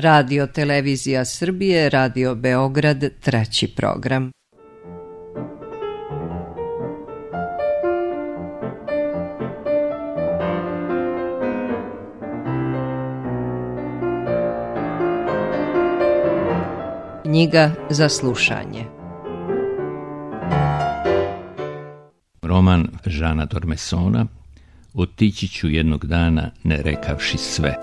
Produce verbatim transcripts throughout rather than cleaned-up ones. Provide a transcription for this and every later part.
Radio Televizija Srbije, Radio Beograd, treći program. Knjiga za slušanje. Roman Žana Dormesona Otići ću jednog dana ne rekavši sve.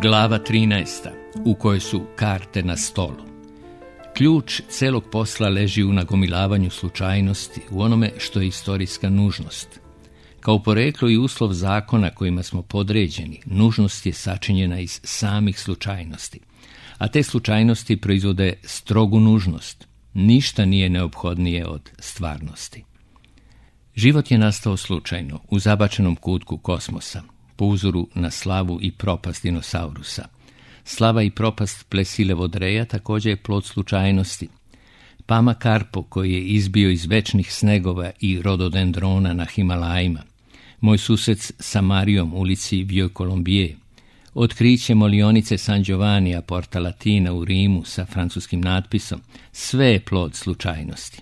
Glava trinaesta, u kojoj su karte na stolu. Ključ celog posla leži u nagomilavanju slučajnosti, u onome što je istorijska nužnost. Kao poreklo i uslov zakona kojima smo podređeni, nužnost je sačinjena iz samih slučajnosti. A te slučajnosti proizvode strogu nužnost. Ništa nije neophodnije od stvarnosti. Život je nastao slučajno, u zabačenom kutku kosmosa, po uzoru na slavu i propast dinosaurusa. Slava i propast Plesile Vodreja također je plod slučajnosti. Pama Karpo, koji je izbio iz večnih snegova i rododendrona na Himalajima. Moj sused sa Marijom u ulici Vieux Colombier. Otkriće molionice San Giovanni a Porta Latina u Rimu sa francuskim natpisom. Sve je plod slučajnosti.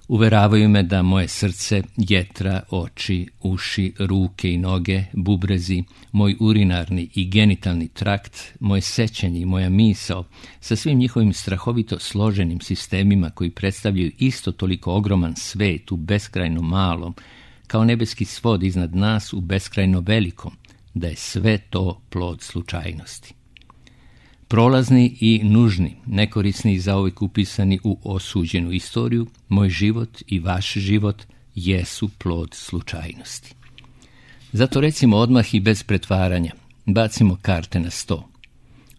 Uveravaju me da moje srce, jetra, oči, uši, ruke i noge, bubrezi, moj urinarni i genitalni trakt, moje sećanje i moja misao, sa svim njihovim strahovito složenim sistemima koji predstavljaju isto toliko ogroman svet u beskrajno malom, kao nebeski svod iznad nas u beskrajno velikom, da je sve to plod slučajnosti. Prolazni i nužni, nekorisni i zauvijek upisani u osuđenu istoriju, moj život i vaš život jesu plod slučajnosti. Zato recimo odmah i bez pretvaranja, bacimo karte na sto.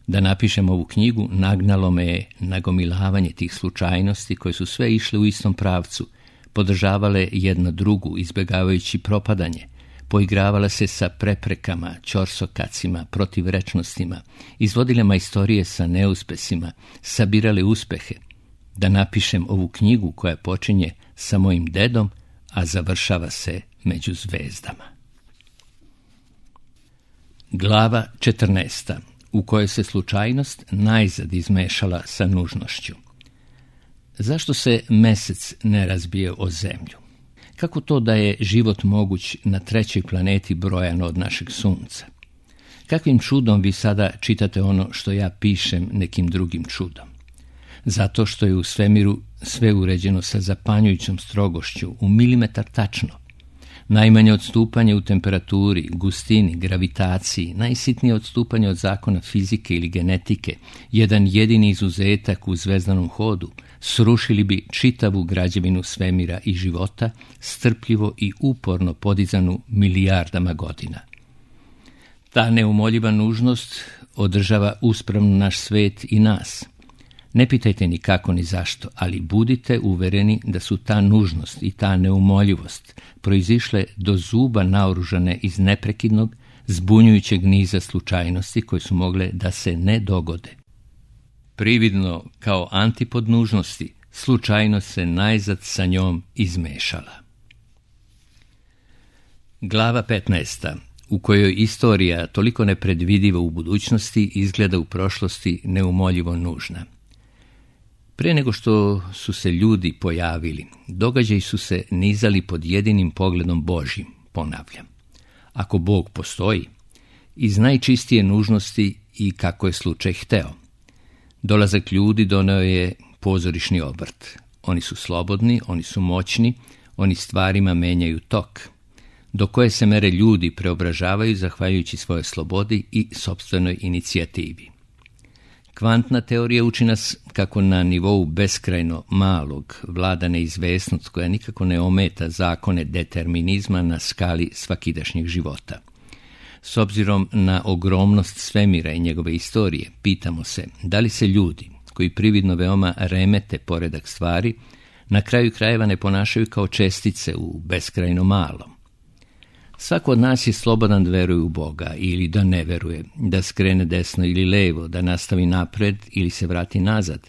Da napišem ovu knjigu, nagnalo me je nagomilavanje tih slučajnosti koje su sve išle u istom pravcu, podržavale jedna drugu, izbjegavajući propadanje, poigravala se sa preprekama, ćorsokacima, protivrečnostima, izvodile majstorije sa neuspesima, sabirale uspehe, da napišem ovu knjigu koja počinje sa mojim dedom, a završava se među zvezdama. Glava četrnaesta, u kojoj se slučajnost najzad izmešala sa nužnošću. Zašto se mesec ne razbije o zemlju? Kako to da je život moguć na trećoj planeti brojan od našeg sunca? Kakvim čudom vi sada čitate ono što ja pišem nekim drugim čudom? Zato što je u svemiru sve uređeno sa zapanjujućom strogošću, u milimetar tačno. Najmanje odstupanje u temperaturi, gustini, gravitaciji, najsitnije odstupanje od zakona fizike ili genetike, jedan jedini izuzetak u zvezdanom hodu, srušili bi čitavu građevinu svemira i života, strpljivo i uporno podizanu milijardama godina. Ta neumoljiva nužnost održava uspravno naš svet i nas. Ne pitajte ni kako ni zašto, ali budite uvereni da su ta nužnost i ta neumoljivost proizišle do zuba naoružane iz neprekidnog, zbunjujućeg niza slučajnosti koje su mogle da se ne dogode. Prividno kao antipod nužnosti, slučajnost se najzad sa njom izmešala. Glava petnaesta, u kojoj istorija toliko nepredvidiva u budućnosti izgleda u prošlosti neumoljivo nužna. Pre nego što su se ljudi pojavili, događaji su se nizali pod jedinim pogledom Božjim, ponavljam. Ako Bog postoji, iz najčistije nužnosti i kako je slučaj hteo. Dolazak ljudi doneo je pozorišni obrt. Oni su slobodni, oni su moćni, oni stvarima menjaju tok, do koje se mere ljudi preobražavaju zahvaljujući svojoj slobodi i sopstvenoj inicijativi. Kvantna teorija uči nas kako na nivou beskrajno malog vlada neizvesnost koja nikako ne ometa zakone determinizma na skali svakidašnjeg života. S obzirom na ogromnost svemira i njegove istorije, pitamo se da li se ljudi, koji prividno veoma remete poredak stvari, na kraju krajeva ne ponašaju kao čestice u beskrajno malom. Svako od nas je slobodan da veruje u Boga ili da ne veruje, da skrene desno ili levo, da nastavi napred ili se vrati nazad.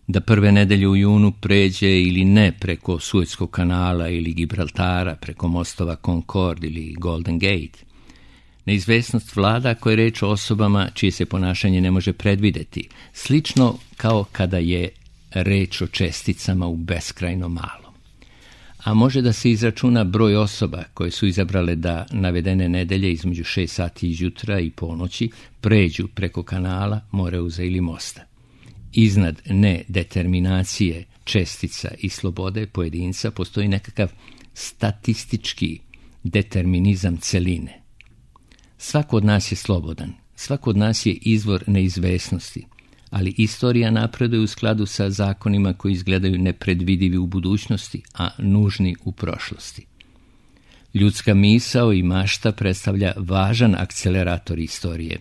da prve nedelje u junu pređe ili ne preko Suetskog kanala ili Gibraltara, preko mostova Concord ili Golden Gate. Neizvesnost vlada ako je reč o osobama čije se ponašanje ne može predvideti, slično kao kada je reč o česticama u beskrajno malo. A može da se izračuna broj osoba koje su izabrale da navedene nedelje između šest sati izjutra i ponoći pređu preko kanala, Moreuza ili mosta. Iznad nedeterminacije čestica i slobode pojedinca postoji nekakav statistički determinizam celine. Svako od nas je slobodan, svako od nas je izvor neizvesnosti, ali istorija napreduje u skladu sa zakonima koji izgledaju nepredvidivi u budućnosti, a nužni u prošlosti. Ljudska misao i mašta predstavlja važan akcelerator istorije,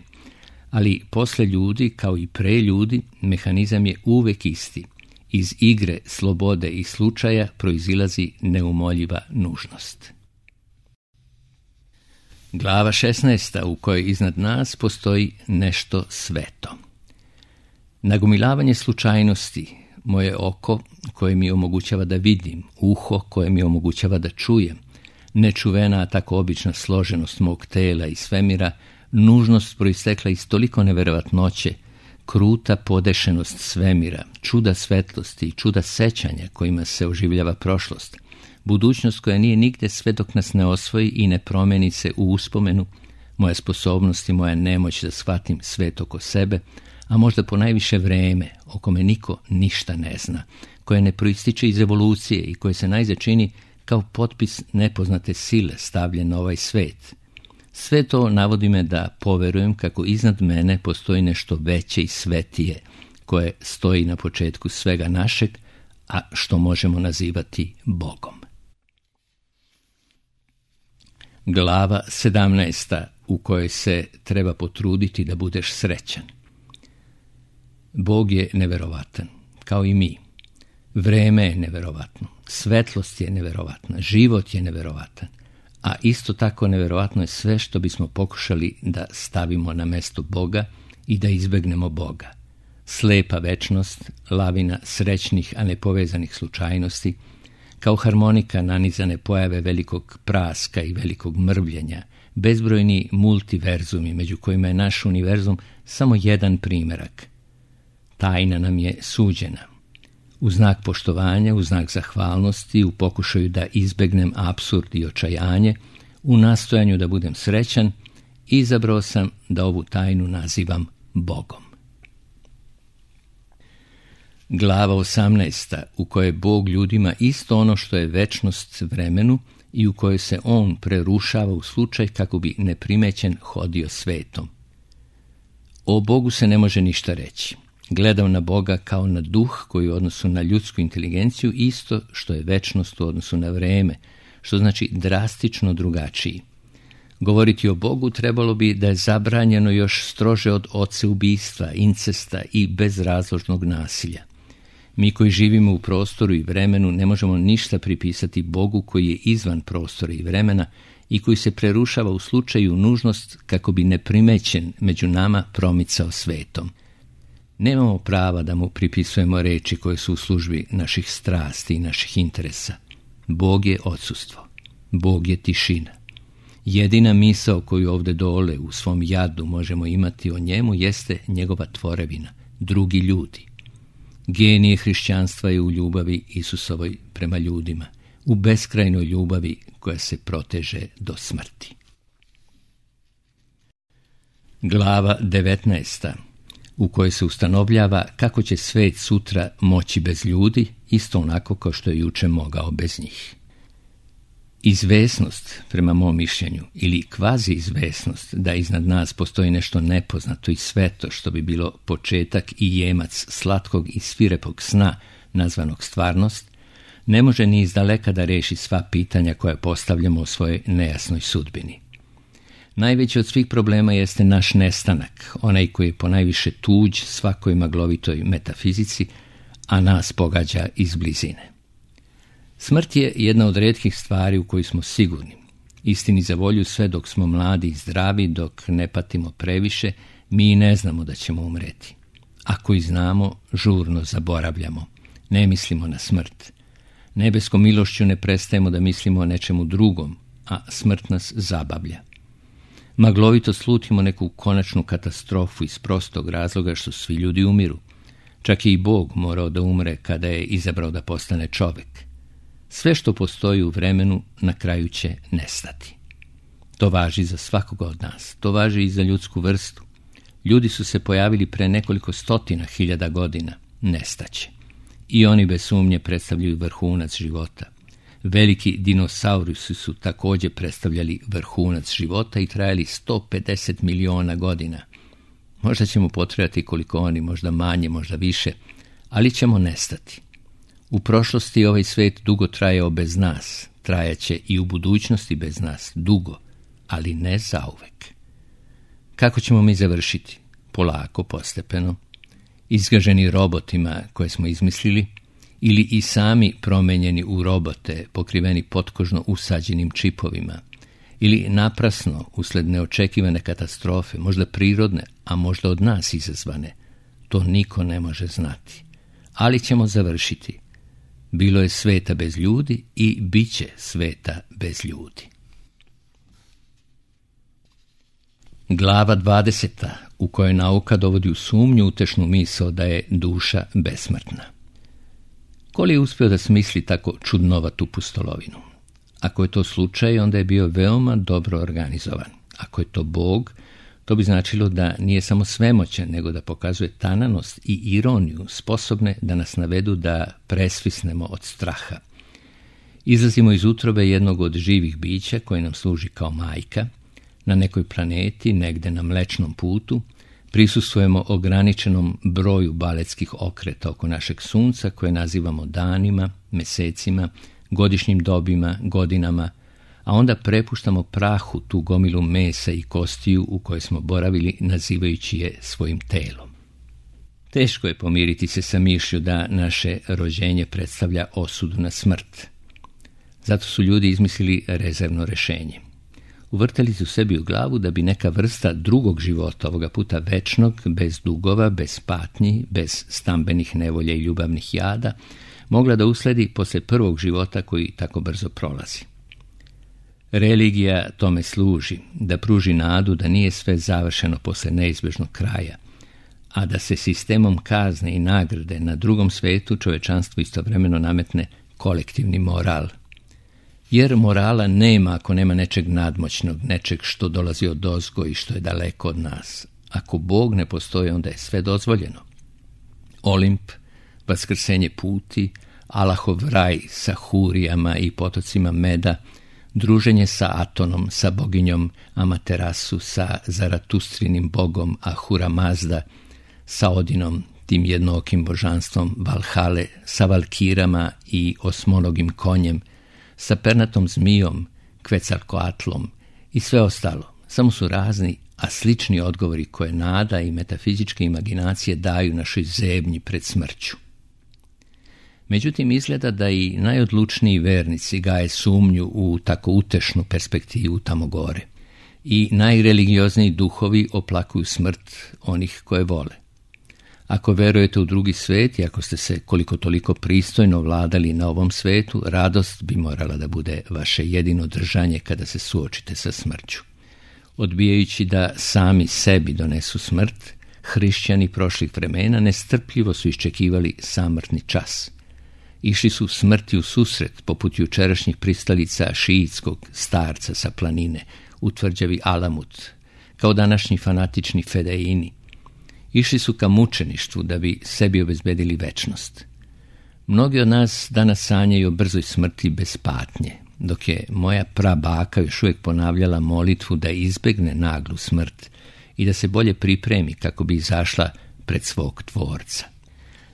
ali posle ljudi, kao i pre ljudi, mehanizam je uvek isti. Iz igre slobode i slučaja proizilazi neumoljiva nužnost. Glava šesnaesta, u kojoj iznad nas postoji nešto sveto. Nagomilavanje slučajnosti, moje oko koje mi omogućava da vidim, uho koje mi omogućava da čujem, nečuvena, a tako obična složenost mog tela i svemira, nužnost proistekla iz toliko neverovatnoće, kruta podešenost svemira, čuda svetlosti i čuda sećanja kojima se oživljava prošlost, budućnost koja nije nigde sve dok nas ne osvoji i ne promeni se u uspomenu, moja sposobnost i moja nemoć da shvatim svet oko sebe, a možda ponajviše vreme, o kome niko ništa ne zna, koje ne proističe iz evolucije i koje se najzad čini kao potpis nepoznate sile stavljen na ovaj svet. Sve to navodi me da poverujem kako iznad mene postoji nešto veće i svetije, koje stoji na početku svega našeg, a što možemo nazivati Bogom. Glava sedamnaesta, u kojoj se treba potruditi da budeš srećan. Bog je neverovatan, kao i mi. Vreme je neverovatno, svetlost je neverovatna, život je neverovatan, a isto tako neverovatno je sve što bismo pokušali da stavimo na mesto Boga i da izbegnemo Boga. Slepa večnost, lavina srećnih, a nepovezanih slučajnosti, kao harmonika nanizane pojave velikog praska i velikog mrvljenja, bezbrojni multiverzumi, među kojima je naš univerzum samo jedan primerak. Tajna nam je suđena. U znak poštovanja, u znak zahvalnosti, u pokušaju da izbegnem apsurd i očajanje, u nastojanju da budem srećan, izabrao sam da ovu tajnu nazivam Bogom. Glava osamnaesta, u kojoj Bog ljudima isto ono što je večnost vremenu i u kojoj se on prerušava u slučaj kako bi neprimećen hodio svetom. O Bogu se ne može ništa reći. Gledam na Boga kao na duh koji u odnosu na ljudsku inteligenciju isto što je večnost u odnosu na vreme, što znači drastično drugačiji. Govoriti o Bogu trebalo bi da je zabranjeno još strože od odseubistva, incesta i bezrazložnog nasilja. Mi koji živimo u prostoru i vremenu ne možemo ništa pripisati Bogu koji je izvan prostora i vremena i koji se prerušava u slučaju nužnost kako bi neprimećen među nama promicao svetom. Nemamo prava da mu pripisujemo reči koje su u službi naših strasti i naših interesa. Bog je odsustvo. Bog je tišina. Jedina misao koju ovde dole u svom jadu možemo imati o njemu jeste njegova tvorevina, drugi ljudi. Genije hrišćanstva je u ljubavi Isusovoj prema ljudima, u beskrajnoj ljubavi koja se proteže do smrti. Glava devetnaesta, u kojoj se ustanovljava kako će svet sutra moći bez ljudi, isto onako kao što je juče mogao bez njih. Izvesnost, prema mom mišljenju, ili kvazi izvesnost da iznad nas postoji nešto nepoznato i sveto što bi bilo početak i jemac slatkog i svirepog sna nazvanog stvarnost, ne može ni izdaleka da reši sva pitanja koja postavljamo o svojoj nejasnoj sudbini. Najveći od svih problema jeste naš nestanak, onaj koji je ponajviše tuđ svakoj maglovitoj metafizici, a nas pogađa iz blizine. Smrt je jedna od retkih stvari u kojoj smo sigurni. Istini za volju, sve dok smo mladi i zdravi, dok ne patimo previše, mi ne znamo da ćemo umreti. Ako i znamo, žurno zaboravljamo. Ne mislimo na smrt. Nebeskom milošću ne prestajemo da mislimo o nečemu drugom, a smrt nas zabavlja. Maglovito slutimo neku konačnu katastrofu iz prostog razloga što svi ljudi umiru. Čak i Bog morao da umre kada je izabrao da postane čovek. Sve što postoji u vremenu na kraju će nestati. To važi za svakoga od nas. To važi i za ljudsku vrstu. Ljudi su se pojavili pre nekoliko stotina hiljada godina. Nestaće. I oni bez sumnje predstavljaju vrhunac života. Veliki dinosaurusi su također predstavljali vrhunac života i trajali sto pedeset miliona godina. Možda ćemo potrebati koliko oni, možda manje, možda više, ali ćemo nestati. U prošlosti ovaj svet dugo trajao bez nas, trajaće i u budućnosti bez nas, dugo, ali ne zauvek. Kako ćemo mi završiti? Polako, postepeno, izgaženi robotima koje smo izmislili, ili i sami promenjeni u robote, pokriveni potkožno usađenim čipovima, ili naprasno, usled neočekivane katastrofe, možda prirodne, a možda od nas izazvane. To niko ne može znati. Ali ćemo završiti. Bilo je sveta bez ljudi i bit će sveta bez ljudi. Glava dvadeseta, u kojoj nauka dovodi u sumnju utešnu misao da je duša besmrtna. Ko li je uspio da smisli tako čudnovatu pustolovinu? Ako je to slučaj, onda je bio veoma dobro organizovan. Ako je to Bog, to bi značilo da nije samo svemoćan, nego da pokazuje tananost i ironiju sposobne da nas navedu da presvisnemo od straha. Izlazimo iz utrobe jednog od živih bića koje nam služi kao majka, na nekoj planeti, negde na Mlečnom putu, prisustvujemo ograničenom broju baletskih okreta oko našeg sunca koje nazivamo danima, mesecima, godišnjim dobima, godinama, a onda prepuštamo prahu tu gomilu mesa i kostiju u kojoj smo boravili nazivajući je svojim telom. Teško je pomiriti se sa mišlju da naše rođenje predstavlja osudu na smrt. Zato su ljudi izmislili rezervno rešenje. Uvrtali su sebi u glavu da bi neka vrsta drugog života, ovoga puta večnog, bez dugova, bez patnji, bez stambenih nevolja i ljubavnih jada, mogla da usledi posle prvog života koji tako brzo prolazi. Religija tome služi, da pruži nadu da nije sve završeno posle neizbežnog kraja, a da se sistemom kazne i nagrade na drugom svetu čovečanstvu istovremeno nametne kolektivni moral. Jer morala nema ako nema nečeg nadmoćnog, nečeg što dolazi od ozgo i što je daleko od nas. Ako Bog ne postoji, onda je sve dozvoljeno. Olimp, vaskrsenje puti, Allahov raj sa hurijama i potocima meda, druženje sa Atonom, sa boginjom Amaterasu, sa Zaratustrinim bogom Ahura Mazda, sa Odinom, tim jednookim božanstvom Valhale, sa Valkirama i osmonogim konjem, sa pernatom zmijom, Quetzalcoatlom i sve ostalo. Samo su razni, a slični odgovori koje nada i metafizičke imaginacije daju našoj zebnji pred smrću. Međutim, izgleda da i najodlučniji vernici gaje sumnju u tako utešnu perspektivu tamo gore. I najreligiozniji duhovi oplakuju smrt onih koje vole. Ako verujete u drugi svet i ako ste se koliko toliko pristojno vladali na ovom svetu, radost bi morala da bude vaše jedino držanje kada se suočite sa smrću. Odbijajući da sami sebi donesu smrt, hrišćani prošlih vremena nestrpljivo su iščekivali samrtni čas. Išli su smrti u susret, poput jučerašnjih pristalica šiitskog starca sa planine, u tvrđavi Alamut, kao današnji fanatični fedeini. Išli su ka mučeništvu da bi sebi obezbedili večnost. Mnogi od nas danas sanjaju o brzoj smrti bez patnje, dok je moja prabaka još uvijek ponavljala molitvu da izbegne naglu smrt i da se bolje pripremi kako bi izašla pred svog tvorca.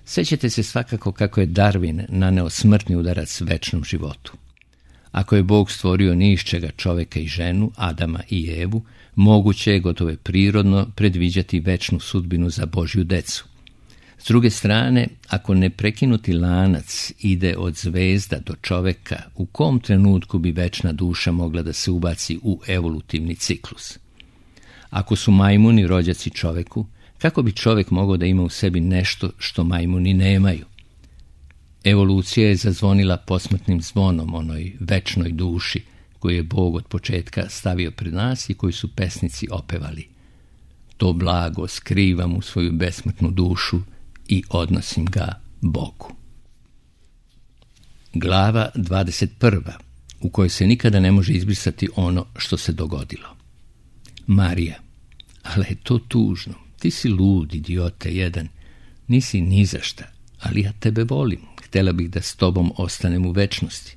Sećate se svakako kako je Darwin naneo smrtni udarac večnom životu. Ako je Bog stvorio ni iz čega čoveka i ženu, Adama i Evu, moguće je, gotovo je prirodno, predviđati večnu sudbinu za Božju decu. S druge strane, ako neprekinuti lanac ide od zvezda do čoveka, u kom trenutku bi večna duša mogla da se ubaci u evolutivni ciklus? Ako su majmuni rođaci čoveku, Kako bi čovjek mogao da ima u sebi nešto što majmuni nemaju? Evolucija je zazvonila posmrtnim zvonom onoj večnoj duši koju je Bog od početka stavio pred nas i koju su pesnici opevali. To blago skrivam u svoju besmrtnu dušu i odnosim ga Bogu. Glava dvadeset prva, u kojoj se nikada ne može izbrisati ono što se dogodilo. Marija, ali je to tužno. Ti si lud, idiote jedan. Nisi ni za šta, ali ja tebe volim. Htjela bih da s tobom ostanem u večnosti.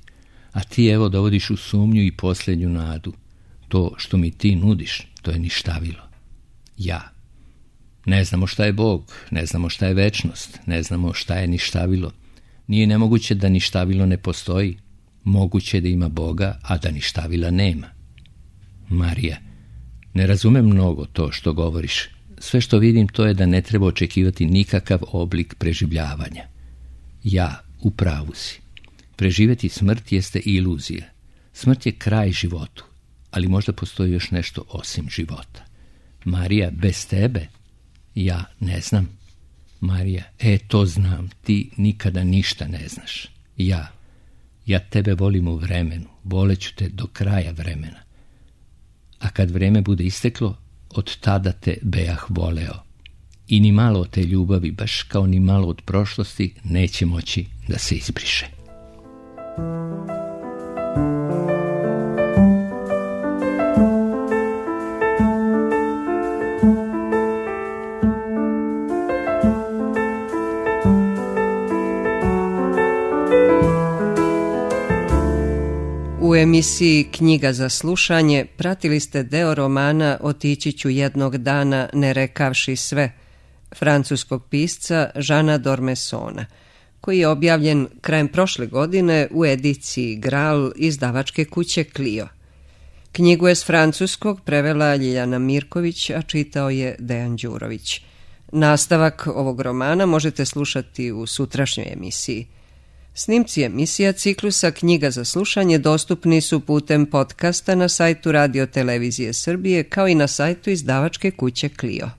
A ti evo dovodiš u sumnju i posljednju nadu. To što mi ti nudiš, to je ništavilo. Ja. Ne znamo šta je Bog, ne znamo šta je večnost, ne znamo šta je ništavilo. Nije nemoguće da ništavilo ne postoji. Moguće je da ima Boga, a da ništavila nema. Marija, ne razumem mnogo to što govoriš. Sve što vidim to je da ne treba očekivati nikakav oblik preživljavanja. Ja, u pravu si. Preživjeti smrt jeste iluzija. Smrt je kraj životu, ali možda postoji još nešto osim života. Marija, bez tebe? Ja ne znam. Marija, e, to znam, ti nikada ništa ne znaš. Ja, ja tebe volim u vremenu, voleću te do kraja vremena. A kad vreme bude isteklo, od tada te bejah voleo. I ni malo od te ljubavi, baš kao ni malo od prošlosti, neće moći da se izbriše. U emisiji Knjiga za slušanje pratili ste deo romana Otići ću jednog dana ne rekavši sve, francuskog pisca Žana Dormesona, koji je objavljen krajem prošle godine u ediciji Gral izdavačke kuće Clio. Knjigu je s francuskog prevela Ljiljana Mirković, a čitao je Dejan Đurović. Nastavak ovog romana možete slušati u sutrašnjoj emisiji. Snimci emisija ciklusa Knjiga za slušanje dostupni su putem podcasta na sajtu Radio Televizije Srbije kao i na sajtu izdavačke kuće Clio.